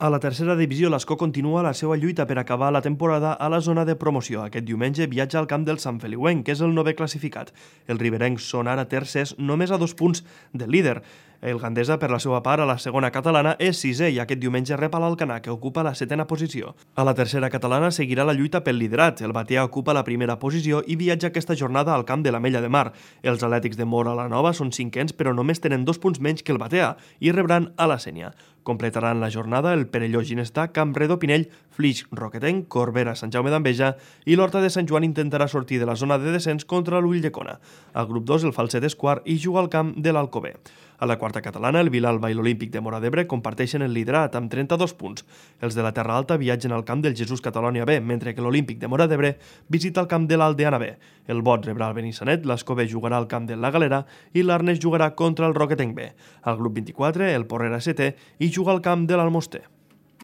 A la tercera divisió, l'Escó continua la seva lluita per acabar la temporada a la zona de promoció. Aquest diumenge viatja al camp del Sant Feliuenc, que és el 9è classificat. Els riberencs són ara tercers, només a 2 punts del líder. El Gandesa, per la seva part, a la segona catalana és 6è i aquest diumenge rep a l'Alcanar, que ocupa la 7a posició. A la tercera catalana seguirà la lluita pel liderat. El Batea ocupa la primera posició i viatja aquesta jornada al camp de l'Ametlla de Mar. Els Atlètics de Móra la Nova són 5ens, però només tenen 2 punts menys que el Batea i rebran a la Sénia. Completaran la jornada el Perelló Ginestà, Campredó Pinell, Flix Roquetenc, Corbera Sant Jaume d'Enveja i l'Horta de Sant Joan intentarà sortir de la zona de descens contra l'Ulldecona. Al grup 2 el Falset és quart i juga al camp de l'Alcover. A la quarta catalana, el Vilalba i l'Olímpic de Móra d'Ebre comparteixen el liderat amb 32 punts. Els de la Terra Alta viatgen al camp del Jesús Catalònia B, mentre que l'Olímpic de Móra d'Ebre visita el camp de l'Aldeana B. El Bot rebrà el Benissanet, l'Escó B jugarà al camp de la Galera i l'Arnes jugarà contra el Roquetenc B. Al grup 24, el Porrera setè i juga al camp de l'Almoster.